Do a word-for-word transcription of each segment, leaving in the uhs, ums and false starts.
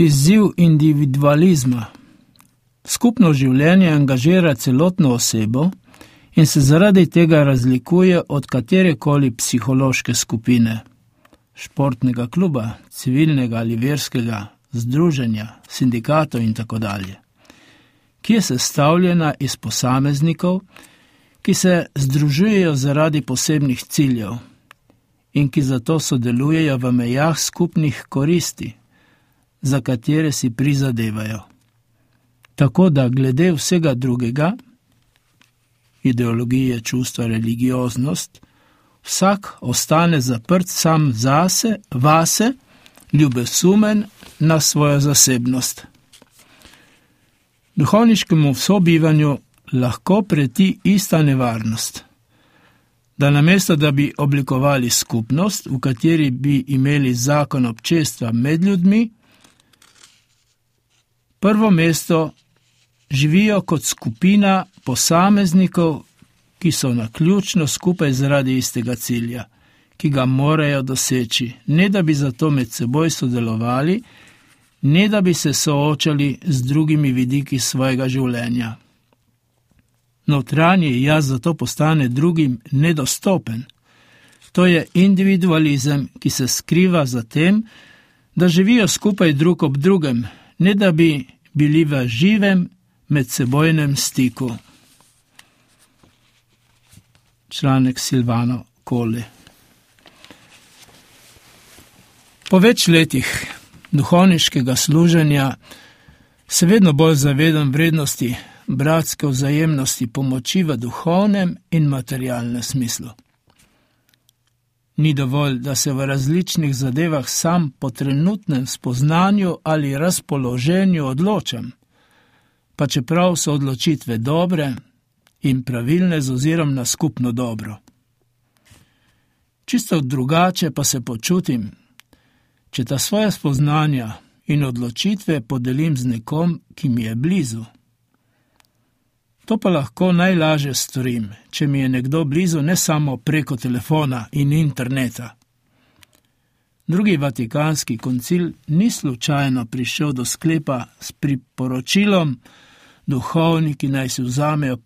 Izziv individualizma. Skupno življenje angažira celotno osebo in se zaradi tega razlikuje od katerekoli psihološke skupine, športnega kluba, civilnega ali verskega združenja, sindikatov in tako dalje, ki je sestavljena iz posameznikov, ki se združujejo zaradi posebnih ciljev in ki zato sodelujejo v mejah skupnih koristi, za katere si prizadevajo. Tako da glede vsega drugega, ideologije, čustva, religioznost, vsak ostane zaprt sam zase, vase, ljubesumen na svojo zasebnost. Duhovniškemu sobivanju lahko preti ista nevarnost, da namesto, da bi oblikovali skupnost, v kateri bi imeli zakon občestva med ljudmi, prvo mesto živijo kot skupina posameznikov, ki so naključno skupaj zaradi istega cilja, ki ga morajo doseči, ne da bi zato med seboj sodelovali, ne da bi se soočali z drugimi vidiki svojega življenja. Notranji jaz zato postane drugim nedostopen. To je individualizem, ki se skriva za tem, da živijo skupaj drug ob drugem, ne da bi bili v živem medsebojnem stiku. Članek Silvano Colli. Po več letih duhovniškega služenja se vedno bolj zavedam vrednosti bratske vzajemnosti pomoči v duhovnem in materialnem smislu. Ni dovolj, da se v različnih zadevah sam po trenutnem spoznanju ali razpoloženju odločam, pa čeprav so odločitve dobre in pravilne z ozirom na skupno dobro. Čisto drugače pa se počutim, če ta svoja spoznanja in odločitve podelim z nekom, ki mi je blizu. To pa lahko najlažje storim, če mi je nekdo blizu ne samo preko telefona in interneta. Drugi Vatikanski koncil ni slučajno prišel do sklepa s priporočilom, duhovniki naj si vzamejo,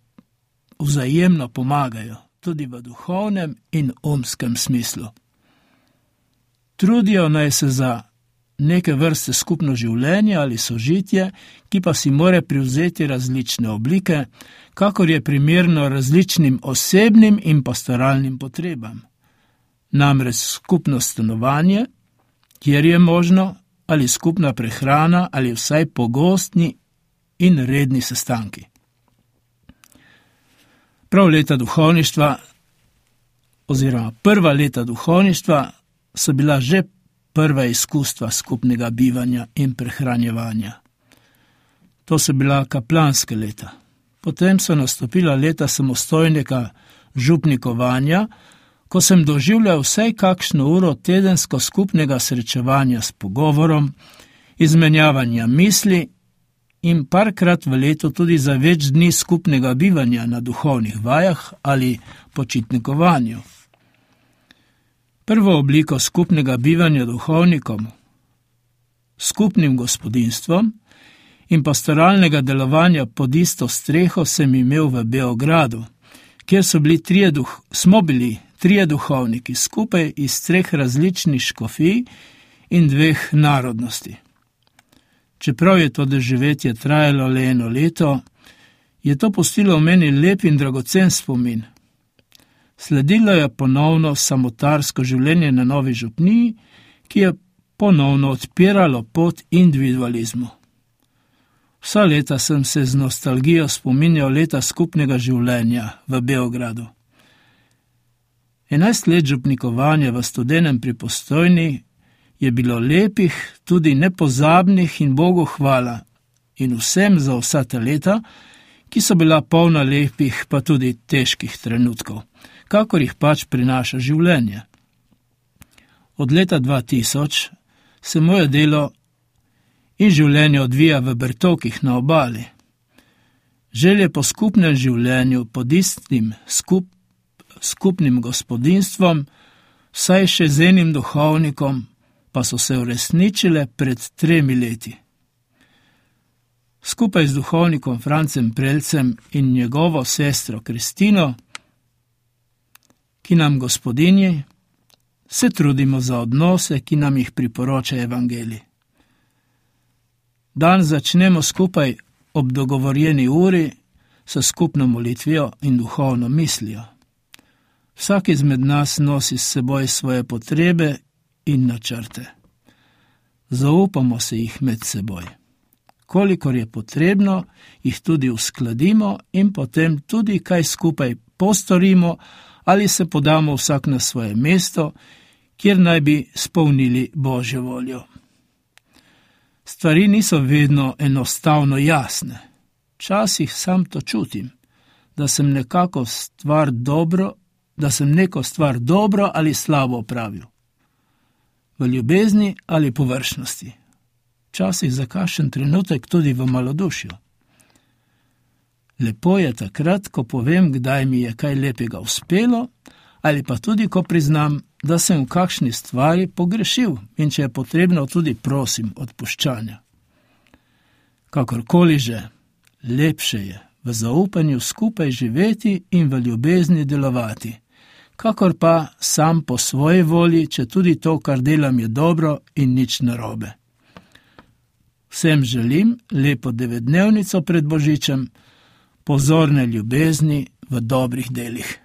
vzajemno pomagajo, tudi v duhovnem in umskem smislu. Trudijo naj se za neke vrste skupno življenje ali sožitje, ki pa si more privzeti različne oblike, kakor je primerno različnim osebnim in pastoralnim potrebam. Namreč skupno stanovanje, kjer je možno, ali skupna prehrana, ali vsaj pogostni in redni sestanki. Prav leta duhovništva, oziroma prva leta duhovništva, so bila že prva izkustva skupnega bivanja in prehranjevanja. To so bila kaplanske leta. Potem so nastopila leta samostojnega župnikovanja, ko sem doživljal vsaj kakšno uro tedensko skupnega srečevanja s pogovorom, izmenjavanja misli in parkrat v letu tudi za več dni skupnega bivanja na duhovnih vajah ali počitnikovanju. Prvo obliko skupnega bivanja duhovnikom, skupnim gospodinstvom in pastoralnega delovanja pod isto streho sem imel v Beogradu, kjer so bili trije duh, smo bili trije duhovniki skupaj iz treh različnih škofij in dveh narodnosti. Čeprav je to doživetje trajalo le eno leto, je to pustilo v meni lep in dragocen spomin. Sledilo je ponovno samotarsko življenje na Novi župniji, ki je ponovno odpiralo pot individualizmu. Vsa leta sem se z nostalgijo spominjal leta skupnega življenja v Beogradu. Enajst let župnikovanja v Studenem pri Postojni je bilo lepih, tudi nepozabnih in Bogu hvala in vsem za vsa ta leta, ki so bila polna lepih pa tudi težkih trenutkov, kakor jih pač prinaša življenje. Od leta dva tisoč se moje delo in življenje odvija v Bertokih na obali. Želje po skupnem življenju pod istim skup, skupnim gospodinstvom, vsaj še z enim duhovnikom, pa so se uresničile pred tremi leti. Skupaj z duhovnikom Francem Prelcem in njegovo sestro Kristino, ki nam gospodinji, se trudimo za odnose, ki nam jih priporoča evangelij. Dan začnemo skupaj ob dogovorjeni uri s skupno molitvijo in duhovno mislijo. Vsak izmed nas nosi s seboj svoje potrebe in načrte. Zaupamo se jih med seboj. Kolikor je potrebno, jih tudi uskladimo in potem tudi kaj skupaj postorimo ali se podamo vsak na svoje mesto, kjer naj bi spolnili Božjo voljo. Stvari niso vedno enostavno jasne. Včasih sam to čutim, da sem nekako stvar dobro, da sem neko stvar dobro ali slabo opravil. V ljubezni ali površnosti. Včasih za kakšen trenutek tudi v malodušju. Lepo je takrat, ko povem, kdaj mi je kaj lepega uspelo, ali pa tudi, ko priznam, da sem v kakšni stvari pogrešil in če je potrebno, tudi prosim odpuščanja. Kakorkoli že, lepše je v zaupanju skupaj živeti in v ljubezni delovati, kakor pa sam po svoji volji, če tudi to, kar delam, je dobro in nič narobe. Vsem želim lepo devetdnevnico pred Božičem, pozorne ljubezni v dobrih delih.